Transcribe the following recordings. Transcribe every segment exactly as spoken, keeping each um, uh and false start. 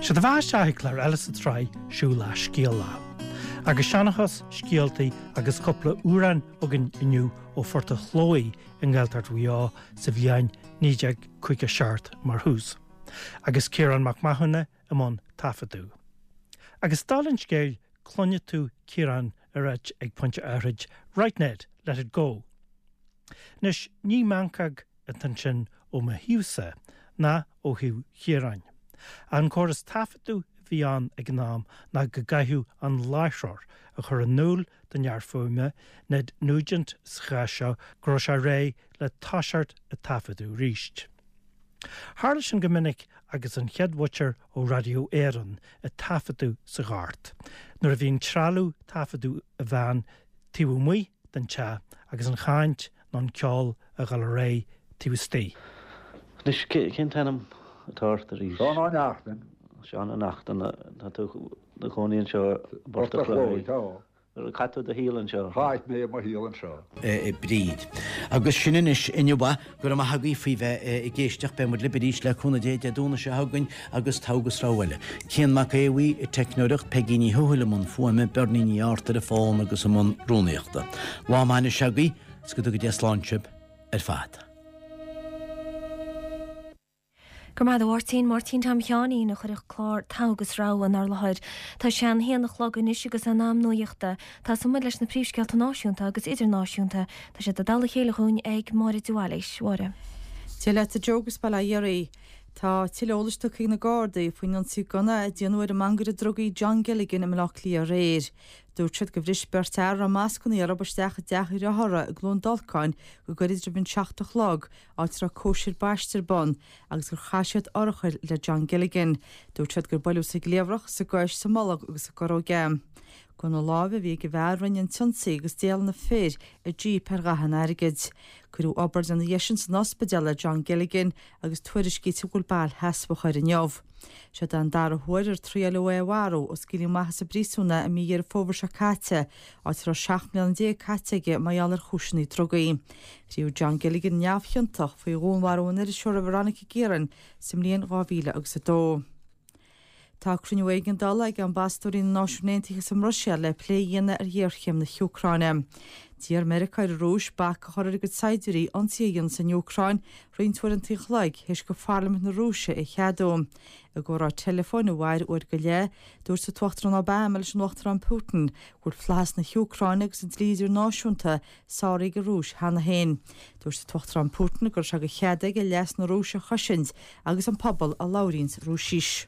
Sé do bheatha isteach ag clár eile sa tsraith Siúl le Scéala. Agus seanchas, scéaltaí agus cúpla amhrán againn inniu ó Phort an Chlóidh i nGaeltacht Mhaigh Eo sa bhliain naoi déag caoga seacht mar thús. Agus Ciarán Mac Mathúna i mbun taifeadadh. Agus dála an scéil cluinfidh tú Ciarán ag ráit ag pointe áithrid Right Ned, let it go. Anois ní meancóg atá ansin ó mo thaobhsa ná ó thaobh Chiaráin. An córas taifeadadh a bhí ann ag an am ná go gcaithfeadh an láithreoir a chur in iúl don fhear fuaime, Ned Nugent sa chás seo, go raibh sé réidh le toiseacht ag taifeadadh arís. Tharla sin go minic agus an chéad mhuintir ó Raidió Éireann ag taifeadadh sa ghort, nuair a bhí an trealamh taifeadadh i veain taobh amuigh den teach agus an chaint nó an ceol a dhul ar aghaidh taobh istigh. Anois, cén t-ainm atá ort arís? Seán Ó Neachtain. Seán Ó Neachtain, tá tú i do chónaí anseo i bPort an Chlóidh. Tá. Chaith tú do shaol anseo? Chaith mé mo shaol anseo. Bríd. Agus sin anois inniu é, go raibh maith agaibh faoi bheith ag éisteacht, beidh muid libh arís le cúnamh Dé Dé Domhnaigh seo chugainn agus togha agus rogha eile. Cian Mac Aodha Bhuí ag teicneoireacht, Peigí Ní Thuathail i mbun fuaime, Bernie Ní Artair ar an bhfón agus i mbun rúnaíochta. Lá maith anois agaibh, is go dtuga Dia slán sibh ar fad. Go raibh maith agat a Mháirtín, Máirtín Tom Sheáinín a chuir an clár Togha agus Rogha inár láthair. Tá sé an haon a chlog anois agus in am nuachta. Tosóidh muid leis na príomhscéalta náisiúnta agus idirnáisiúnta. Tá siad i dtoll a chéile dhúinn ag Máire de Bhailís. Mháire. Dia leat a Joe agus bail ó Dhia oraibh. Tá tuilleadh eolais tugtha ag na Gardaí faoin ionsaí gunna a déanadh ar an mangaire drugaí John Gilligan i mBaile Átha Cliath aréir. Dúirt siad gur bhris beirt fhear a raibh mascanna orthu isteach i dteach a dhriothára i gCluain Dolcáin go gairid roimh an seacht a chlog, áit a raibh cóisir baiste ar bun, agus gur chaith siad urchair le John Gilligan. Dúirt siad gur buaileadh sa gcliabhrach, sa gcois, sa mbolg agus sa gcorróg é. Gunna láimhe a bhí ag an bhfear a rinne an t-ionsaí agus d'éalaigh na fir i jíp ar dhath an airgid. Cuireadh obráid ina dhiaidh sin san ospidéal ar John Gilligan agus tuairiscítear go bhfuil bail sheasmhach air inniu. Seo an dara huair ar triaileadh é a mharú ó scaoileadh amach as an bpríosún é i mí Dheireadh Fómhair seo caite, áit a raibh seacht mbliana déag caite aige mar gheall ar chúiseanna drugaí. Rinneadh John Gilligan neamhchiontach faoi dhúnmharú an iriseora Veronica Guerin sa mbliain dhá mhíle agus a dó. Tá cruinniú éigeandála ag ambasadóirí na Náisiún Aontaithe sa mBruiséil le plé a dhéanamh ar ghéarchéim na hÚcráine. D'iarr Meiriceá ar an Rúis bac a chur ar a gcuid saighdiúirí ionsaí a dhéanamh san Úcráin roinnt uaireanta an chloig théis do Pharlaimint na Rúise é a cheadú. I gcomhrá teileafóin a mhair uair go leith, dúirt an tUachtarán Obama leis an Uachtarán Putin go bhfuil flaitheas na hÚcráine agus an dlí idirnáisiúnta sáraithe ag an Rúis cheana féin. Dúirt an tUachtarán Putin go raibh sé de chead aige leas na Rúise a chosaint agus an pobal a labhraíonns Rúisis.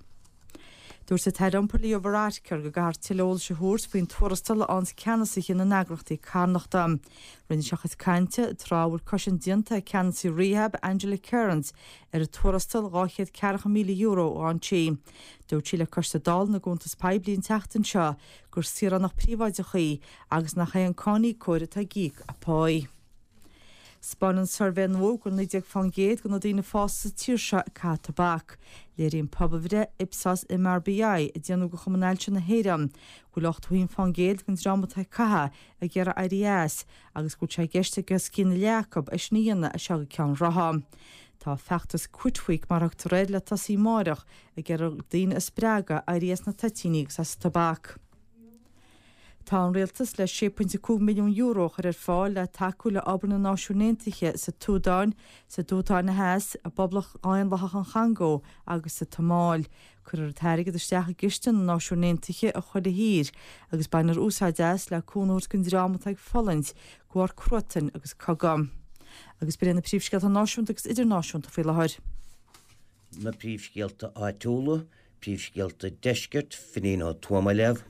Dúirt an tAire Iompair Leo Varadkar go gcaithfear tuilleadh eolais a thabhairt faoin tuarastal a fhaigheanns ceannasaithe na n-eagraíochtaí carthanachta. Rinne sé a chuid cainte tráth a bhfuil cosaint déanta ag ceannasaí Rehab, Angela Kearns, ar an tuarastal dhá chéad ceathracha míle euro a fhaigheann sí. Dúirt sí le Coiste Dála na gCuntas Poiblí an tseachtain seo gur saoránach príobháideach í agus nach é an cáiníocóir atá ag íoc a páí. 'Spáineann suirbhé nua go bhfuil naoi déag fán gcéad de na daoine fásta sa tír seo ag caitheamh tobac. Léiríonn pobalbhreith Ipsos MRBI a déanadh do Chumann Ailse na hÉireann go bhfuil ochtó a haon fán gcéad den dream atá ag caitheamh ag iarraidh éirí as agus go bhfuil sé i gceist ag os cionn a leath acu é sin a dhéanamh as seo go ceann ráithe. Tá feachtas Quit Week mar a thugtar air le tosaí amáireach ag iarraidh daoine a spreagadh éirí as na toitíní agus as an tobac. Tá an rialtas le sé pointe cúig milliún euro a chur ar fáil le tacú le obair na Náisiún Aontaithe sa tSúdáin, sa tSúdáin Theas, i bPoblacht Dhaonlathach an Chongó agus sa tSomáil. Cuirfear an t-airgead isteach i gciste na Náisiún Aontaithe i chuile thír agus bainfear úsáid as le cúnamh a thabhairt don dream atá ag fulaingt de bharr cruatain agus cogadh. Agus b'in iad na príomhscéalta náisiúnta agus idirnáisiúnta faoi láthair. Na príomhscéalta áitiúla, príomhscéalta deiscirt, Finín Ó Tuama á léamh.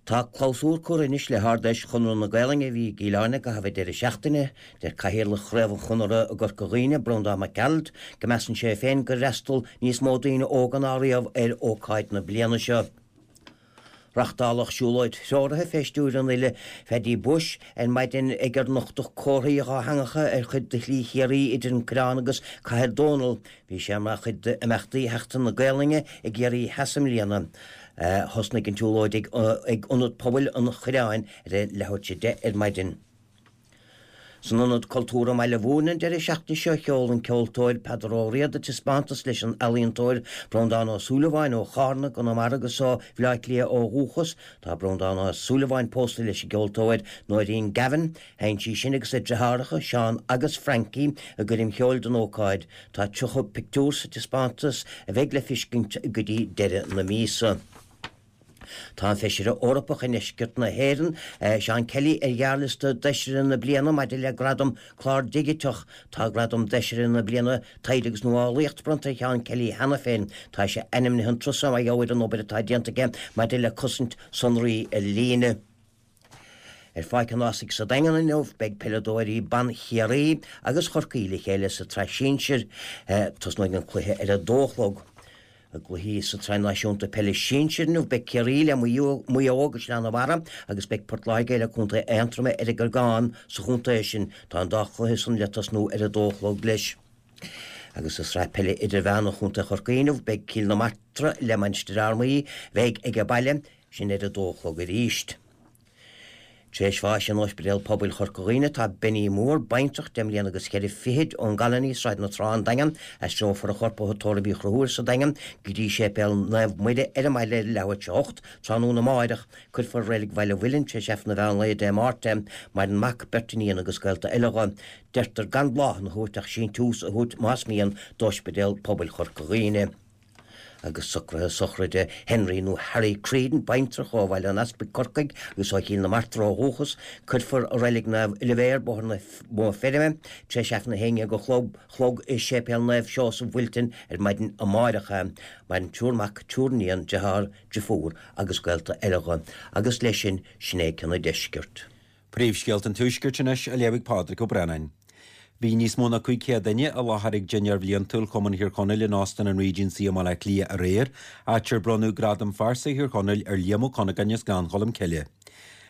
Tá clabhsúr curtha anois le hArd-Fheis Chonradh na Gaelainne a bhí i gCill Airne i gcaitheamh an deireadh seachtaine. Deir Cathaoirleach Chraobh an Chonartha i gCorca Dhuibhne, Breandán Mac Gearailt, go measann sé féin gur fhreastail níos mó daoine óga ná riamh ar ócáid na bliana seo. Reachtáladh siúlóid threoraithe fé stiúir an fhile Pheaidí Bushe ar maidin ag ar nochtadh comharthaí dhátheangacha ar chuid de Shlí Chiarraí idir an Coireán agus Cathair Dónall. Bhí sé mar chuid d'imeachtaí Sheachtain na Gaelainne i gCiarraí Theas i mbliana. Thosnaigh an tsiúlóid ag Ionad Pobail an Choireáin ar a leathuair tar éis a deich ar maidin. San Ionad Cultúir i mBaile Mhúirne an deireadh seachtaine seo, sheol an ceoltóir Peadar Ó Riada taispeántas leis an ealaíontóir Breandán Ó Súilleabháin ó Chárna, i gConamara agus ó Bhaile Átha Cliath ó dhúchas. Tá Breandán Ó Súilleabháin pósta leis an gceoltóir Nóirín Gavin. Sheinn sí sin agus a deartháireacha, Seán agus Frankie, i gcoirm cheoil don ócáid. Tá tríocha pictiúr sa taispeántas a bheidh le feiscint go dtí deireadh na míosa. Tá an Feisire Eorpach i ndeisceart na hÉireann, Seán Kelly, ar ghearrliosta d'Fheisire na Bliana maidir le Gradam Clár Digiteach. Tá Gradam d'Fheisire na Bliana Taighde agus Nuálaíocht bronnta ar Sheán Kelly cheana féin. Tá sé ainmnithe an turas seo mar gheall ar an obair atá déanta aige maidir le cosaint sonraí ar líne. Ar Pháirc an Ághasaigh sa Daingean inniu, beidh peileadóirí ban Chiarraí agus Chorcaí le chéile sa tsraith sinsir. Tosnóidh an cluiche ar a dó a chlog. I gcluichí sa tSraith Náisiúnta Peile Sinsir inniu, beidh Ciarraí le Maigh Eo i gCaisleán an Bharraigh agus beidh Port Láirge le Contae Aontroma ar an gCorgán sa chontae sin. Tá an dá chluiche san le tosnú ar a dó a chlog leis. Agus sa tSraith Peile Idirmheánach Chontae Chorcaí inniu, beidh Cill na Martra le Mainistir Fhear Maí, bheidh ag baile, sin ar a dó a chlog arís. Tar éis bháis in Ospidéal Pobail Chorca Dhuibhne tá Benny Moore, baintreach, deich mbliana agus ceithre fichid, ón gColony, Sráid na Trá, An Daingean. Aistreofar a chorp ó Thigh Tórraimh Uí Chonchúir sa Daingean go dtí Séipéal Naomh Muire ar an mbaile ar leathuair tar éis a hocht tráthnóna amáireach. Cuirfear i Reilig Bhaile Mhuilinn tar éis Aifreann an mheán lae Dé Máirt é. Maireann mac, beirt iníon agus gaolta eile dho. Deirtear gan bláthanna a thabhairt ach síntiús a thabhairt más mian d'Ospidéal Pobail Chorca Dhuibhne. Agus socruithe sochraide Henry nó Harry Creedon, baintreach ó Bhaile an Easpaig, Corcaigh, agus ó Chill na Martra ó dhúchas, cuirfear i Reilig Naomh Oilibhéar, Bóthar na Bóthar Feirme, tar éis Aifreann a haon déag a chlog chlog i Séipéal Naomh Seosamh Wilton ar maidin amáireach é. Maireann triúr mac, triúr iníon, deartháir, driofúr agus gaolta eile dho. Agus leis sin, sin é cionn an deiscirt. Príomhscéalta an Tuaiscirt anois á léamh ag Pádraig Ó Braonáin. Bhí níos mó ná cúig chéad duine i láthair ag dinnéar bhliantúil Chumann Thír Chonaill in Óstán an Regency i mBaile Átha Cliath aréir, áit ar bronnadh Gradam Phearsa Thír Chonaill ar Liam Ó Cuinneagáin as Gleann Cholm Cille.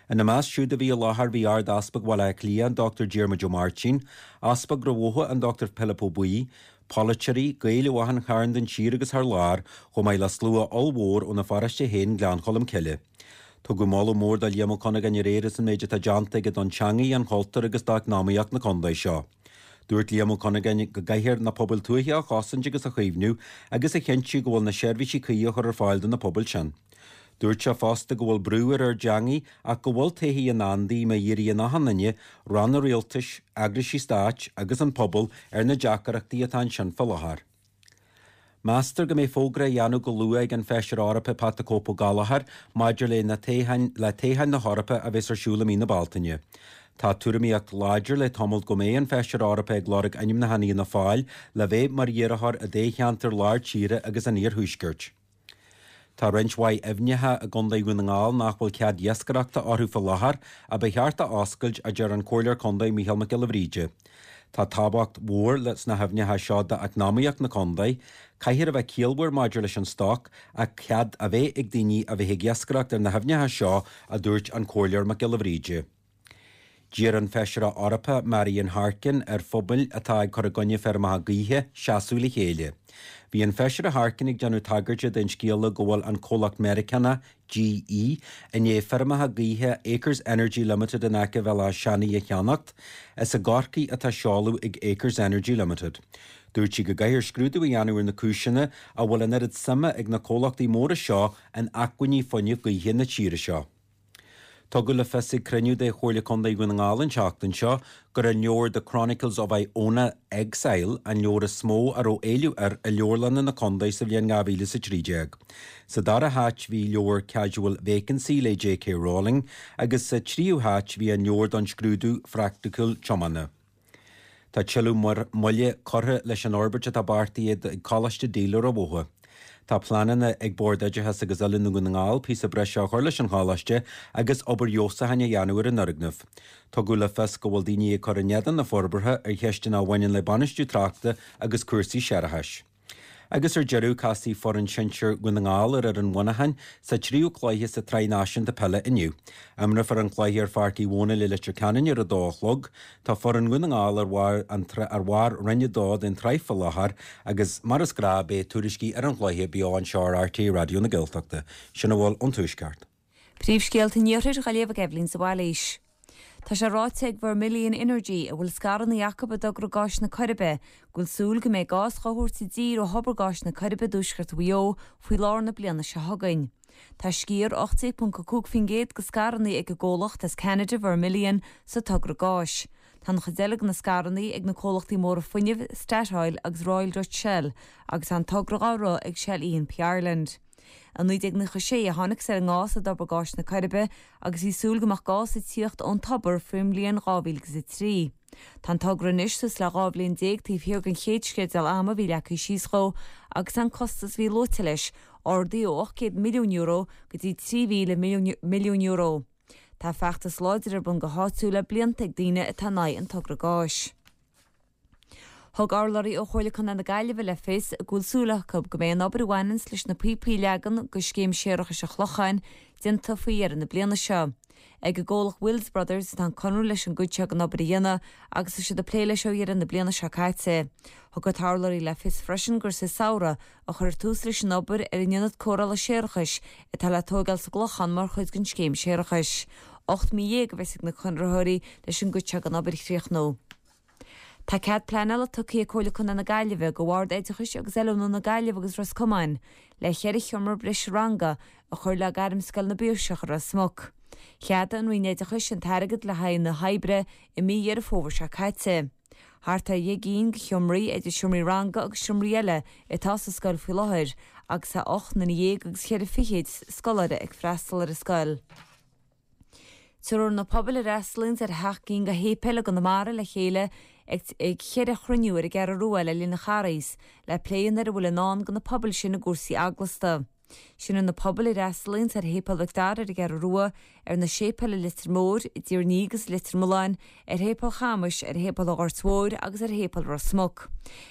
Ina measc siúd a bhí i láthair bhí Ard-Easpag Bhaile Átha Cliath, an Dochtúir Diarmuid Ó Máirtín, Easpag Mhaigh Eo, an Dochtúir Pilip Ó Baoill, polaiteoirí, Gaeil ó achan chearn den tír agus thar lear, chomh maith le slua ollmhór óna pharóiste féin, Gleann Cholm Cille. Tugadh moladh mór do Liam Ó Cuinneagáin aréir as an méid atá déanta aige don teangaidh, an chultúr agus d'eacnamaíocht na contae seo. Dúirt Liam Ó Cuinneagáin go gcaithfear na pobail tuaithe a chosaint agus a chaomhnú agus a chinntiú go bhfuil na seirbhísí cuí á chur ar fáil do na pobail sin. Dúirt sé fosta go bhfuil brú ar ár dteangaidh ach go bhfuil todhchaí i ndán di má dhíríonn achan duine, ranna rialtais, eagraisí stáit agus an pobal ar na deacrachtaí atá ansin fá láthair. Meastar go mbeidh fógra á dhéanamh go luath ag an Feisire Eorpach Pat the Cope Ó Gallchóir maidir le na toghcháin le toghcháin na hEorpa a bheas ar siúl i mí na Bealtaine. Tá tuairimíocht láidir le tamall go mbeidh an Feisire Eorpach ag lorg ainmniúchán Fhianna Fáil le bheith mar iarrthóir i dtoghcheantar lár tíre agus an iarthuaiscirt. Tá roinnt mhaith aibhneacha i gContae Dhún na nGall nach bhfuil cead iascaireachta orthu faoi láthair a ba cheart a oscailt, a deir an Comhairleoir Contae Micheál Mac Giolla Bhríde. Tá tábhacht mhór sna haibhneacha seo d'eacnamaíocht na contae. Caithfear a bheith ciallmhar maidir leis an stoc ach cead a bheith ag daoine a bheith ag iascaireacht ar na haibhneacha seo, a dúirt an Comhairleoir Mac Giolla Bhríde. D'iarr an Feisire Eorpach Marian Harkin ar phobail atá ag cur i gcoinne feirmeacha gaoithe seasamh le chéile. Bhí an Feisire Harkin ag déanamh tagairte den scéala go bhfuil an comhlacht Meiriceánach GE i ndiaidh feirmeacha gaoithe Acres Energy Limited in aice Bhéal Átha Seanaidh a cheannacht. Is i gCorcaigh atá seoladh ag Acres Energy Limited. Dúirt sí go gcaithfear scrúdú a dhéanamh ar na cúiseanna a bhfuil an oiread suime ag na comhlachtaí móra seo in acmhainní fuinnimh gaoithe na tíre seo. Tugadh le fios ag cruinniú de Chomhairle Contae Dhún na nGall an tseachtain seo gur an leabhar The Chronicles of Iona Exile an leabhar is mó a raibh éileamh air i leabharlanna na contae sa bhliain dhá mhíle is a trí déag. Sa dara háit bhí leabhar Casual Vacancy le J K Rowling agus sa tríú háit bhí an leabhar don scrúdú phraiticiúil tiomána. Tá tuilleadh moille curtha leis an fhorbairt atá beartaithe ag Coláiste Díle Ráth Bhoth. Tá pleananna ag Bord Oideachais agus Oiliúna Dhún na nGall píosa breise a chur leis an choláiste agus obair fheabhsúcháin a dhéanamh ar an fhoirgneamh. Tugadh le fios go bhfuil daoine ag cur in éadan na forbartha ar cheisteanna a bhaineann le bainistiú tráchta agus cúrsaí séarachais. Agus ar deireadh, casfaidh foireann sinsir Dhún na nGall ar fhoireann Mhuineacháin sa tríú cluiche sa tsraith náisiúnta peile inniu. Imreofar an cluiche ar Pháirc Uí Dhónaill i Leitir Ceanainn ar a dó a chlog. Tá foireann Dhún na nGall ar bharr an ar bharr Roinn a dó den tsraith faoi láthair agus mar is gnáth beidh tuairiscí ar an chluiche beo anseo ar RTÉ Raidió na Gaeltachta. Sin a bhfuil ón Tuaisceart. Príomhscéalta an Iarthair á léamh ag Eibhlín de Bhailís. Tá sé ráite ag Vermilion Energy a bhfuil scaireanna acu i dtogra gáis na Coiribe, go bhfuil súil go mbeidh gás á thabhairt i dtír ó thobar gáis na Coiribe i dtuaisceart Mhaigh Eo faoi lár na bliana seo chugainn. Tá sciar ocht déag ponc a cúig faoin gcéad de scaireanna ag an gcomhlacht as Ceanada Vermilion sa togra gáis. Tá an chuid eile de na scaireanna ag na comhlachtaí móra fuinnimh Statoil agus Royal Dutch Shell agus tá an togra á rith ag Shell E and P Ireland. I naoi déag nócha sé a thángthas ar an ngás i dtobar gáis na Coiribe agus bhí súil go mbeadh gás ag tíocht ón tobar faoin mbliain dhá mhíle agus a trí. Tá an togra anois suas le dhá bhliain déag taobh thiar den chéad sceideal ama a bhí leagtha síos dhó agus an costas a bhí luaite leis ardaithe ó ocht gcéad milliún euro go dtí trí mhíle milliún euro. Tá feachtas láidir ar bun go háitiúil le blianta ag daoine atá in aghaidh an togra gáis. Thug urlabhraí ó Chomhairle Contae na Gaillimhe le fios go bhfuil súil acu go mbeidh an obair a bhaineanns leis na píopaí a leagan do scéim séarachais an Chlocháin déanta faoi dheireadh na bliana seo. Ag an gcomhlacht Wills Brothers atá an conradh leis an gcuid seo den obair a dhéanamh agus tá siad ag plé leis ó dheireadh na bliana seo caite. Thug an t-urlabhraí le fios freisin gur sa samhradh a chuirfear tús leis an obair ar an ionad cóireála séarachais atá le tógáil sa gClochán mar chuid den scéim séarachais. Ocht mí dhéag a bheas ag na conraitheoirí leis an gcuid seo den obair a chríochnú. Tá cead pleanála tugtha ag Comhairle Contae na Gaillimhe do Bhord Oideachais agus Oiliúna na Gaillimhe agus Ros Comáin le ceithre sheomra breise ranga a chur le Gairmscoil na bPiarsach i Ros Muc. Cheadaigh an Roinn Oideachais an t-airgead le haghaidh na hoibre i mí Dheireadh Fómhair seo caite. Thart ar dheich gcinn de sheomraí idir seomraí ranga agus seomraí eile atá sa scoil faoi láthair agus tá ocht nduine dhéag agus ceithre fichid scoláire ag freastal ar an scoil. Tabharfar na pobail a fhreastalaíonns ar sheacht gcinn de shéipéil i gConamara le chéile ag ceithre chruinniú ar an gCeathrú Rua le linn an Charghais le plé a dhéanamh ar a bhfuil i ndán do na pobail sin i gcúrsaí eaglasta. Sin na pobail a fhreastalaíonns ar Shéipéal Mhic Dara ar an gCeathrú Rua, ar na séipéil i Leitir Móir, i dTír an Fhia agus i Leitir Mealláin, ar Shéipéal Chamais, ar Shéipéal an Ghoirt Mhóir agus ar Shéipéal Ros Muc.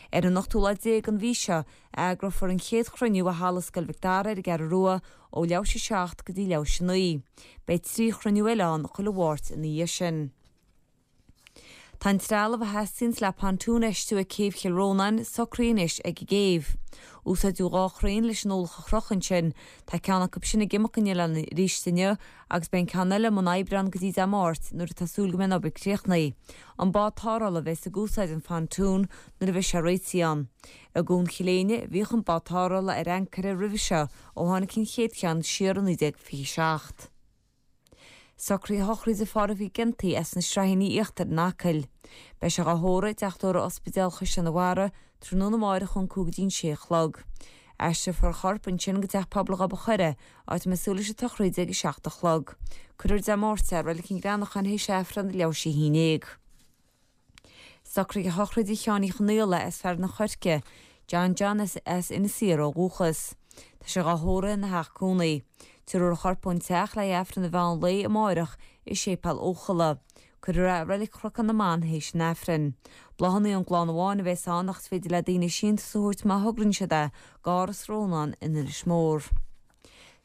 Ar an ochtú lá déag den mhí seo a eagrófar an chéad chruinniú i Halla Scoil Mhic Dara ar an gCeathrú Rua ó leathuair théis a seacht go dtí leathuair théis a naoi. Beidh trí chruinniú eile ann chuile Mháirt ina dhiaidh sin. Tá an trealamh a theastaíonns le pontún a fheistiú ag Céibh Chill Rónáin socraithe anois ag an gcéibh. Úsáideadh dhá chraein leis an ualach a chrochadh ansin. Tá ceann acu sin ag imeacht go oileán arís inniu agus beidh an ceann eile i mbun oibre ann go dtí Dé Máirt nuair atá súil go mbeidh an obair críochnaithe. An bád tarrthála a bheas ag úsáid an phontún nuair a bheidh sé réitithe ann. I gCuan Chill Éinne a bhíodh an bád tarrthála ar ancaire roimhe seo ó tháinig an chéad cheann siar i naoi déag fiche seacht. Socruithe sochraide Phádraig Mhic Ginty as na Sraithíní Íochtair in Acaill. Beidh sé á thórramh i dTeach Tórraimh Ospidéal Chaisleán an Bharraigh tráthnóna amárach ón cúig go dtí an sé a chlog. Aistreofar a chorp ansin go Teach Pobail Ghob an Choire, áit a mbeidh súil leis an tsochraid ag a seacht a chlog. Cuirfear Dé Máirt é i Reilig an Ghreanacháin théis Aifreann leathuair théis a haon déag. Socruithe sochraide Sheáin Uí Chonaola as Fearann an Choirce, John John as Inis Oírr ó dhúchas. Tá sé á thórramh ina theach cónaí. Tabharfar a chorp ón teach le hAifreann an mheán lae amárach i Séipéal Eochalla. Cuirfear é i Reilig Chnocán na mBan théis an Aifrinn. Bláthanna ón gclann amháin a bheas ann ach is féidir le daoine síntiús a thabhairt má thograíonn siad é d'Áras Rónáin in Inis Mór.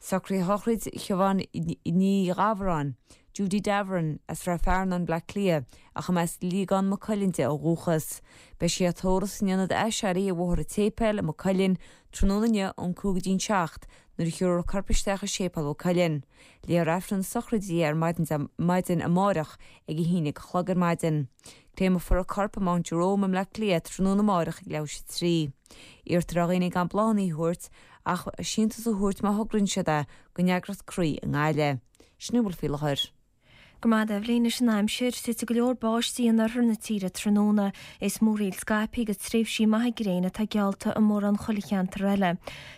Socruithe shochraid Shiobhán Ní Dhamhráin, Judy Davern, as Ráth Fearnáin, Bleá Cliath, ach as Liagán Maigh Cuilinn di ó dhúchas. Beidh sí á tórramh san ionad aiséirí i mBóthar an tSéipéil i Maigh Cuilinn tráthnóna inniu ón cúig go dtí'n seacht nuair a thiúrfar a corp isteach i Séipéal Mhaigh Cuilinn. Léifear Aifreann sochraide di ar maidin maidin amárach ag a haon déag a chlog ar maidin. Créamfar a corp i Mount Jerome i mBleá Cliath tráthnóna amárach ag leathuair théis a trí. Iarrtar ar dhaoine gan bláthanna a thabhairt ach síntiús a thabhairt má thograíonn siad é don eagraíocht Croí i nGaillimh. Sin a bhfuil faoi láthair. Go maith Eibhlín leis an aimsir, titfidh go leor báistí in oirthear na tíre tráthnóna. Is múraíl scaipthe agus tréimhsí maithe gréine atá geallta i mórán chuile cheantar eile.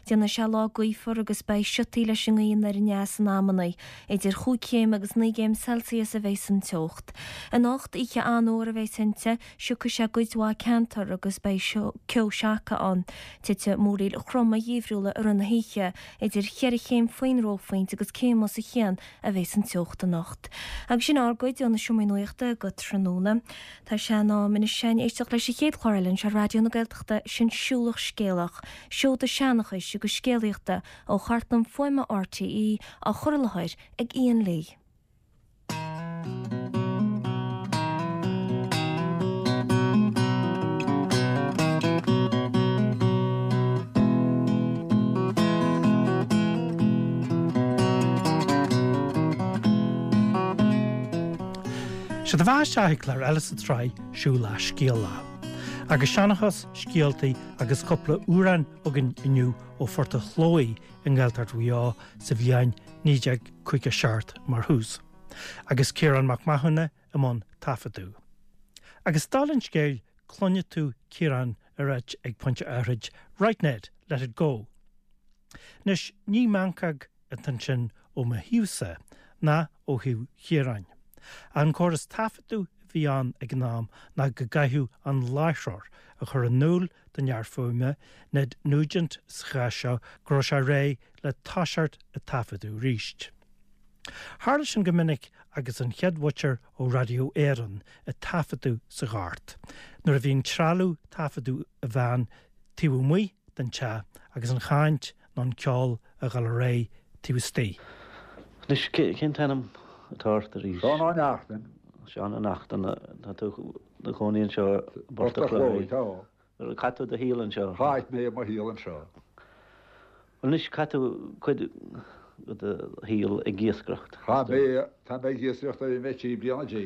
Déanfaidh sé lá gaofar agus beidh siotaí leis an ngaoth anoir aneas in amanna. Idir chúig chéim agus naoi gcéim Celsius a bheas an teocht. Anocht, oíche an-fhuar a bheas inti, siocfaidh sé i gcuid mhaith ceantar agus beidh ceo seaca ann. Titfidh múraíl throma gheimhriúla i rith na hoíche, idir cheithre chéim faoin reophointe agus céim os a chionn a bheas an teocht anocht. Agus sin ár gcuid ó na seomraí nuachta go tráthnóna. Tá sé in am anois againn éisteacht leis an chéad chlár eile anseo ar Raidió na Gaeltachta, sin Siúlach Scéalach, seoda seanchais agus scéalaíochta ó chartlann fuaime R T E á chur i láthair ag Ian Lee. Sé do bheatha isteach ag clár eile sa tsraith Siúil Lá Scéal Lá. Agus seanchas, scéaltaí agus cúpla amhrán againn inniu ó Phort a' Chlóidh i nGaeltacht Mhaigh Eo sa bhliain naoi déag caoga seacht mar thús. Agus Ciarán Mac Mathúna i mbun taifeadadh. Agus dála an scéil cluinfidh tú Ciarán ag ráit ag pointe áithrid 'Right Ned, let it go'. Anois ní meancóg atá ansin ó mo thaobhsa ná ó thaobh Chiaráin. An córas taifeadadh a bhí ann ag an am ná go gcaithfeadh an láithreoir a chur in iúl don fhear fuaime, Ned Nugent sa chás seo, go raibh sé réidh le toiseacht ag taifeadadh arís. Tharla sin go minic agus an chéad mhuintir ó Raidió Éireann ag taifeadadh sa ghort, nuair a bhí an trealamh taifeadadh a bhean taobh amuigh den teach agus an chaint nó an ceol a dhul ar aghaidh taobh istigh. Anois, cén t-ainm atá ort arís? Seán Ó Neachtain. Seán Ó Neachtain, tá tú i do chónaí anseo i bPort a' Chlóidh. Tá. Chaith tú do shaol anseo? Chaith mé mo shaol anseo. Anois, chaith tú cuid de do shaol ag iascaireacht. Chaith mé, tá mé ag iascaireacht ó bhí mé trí bliana déag.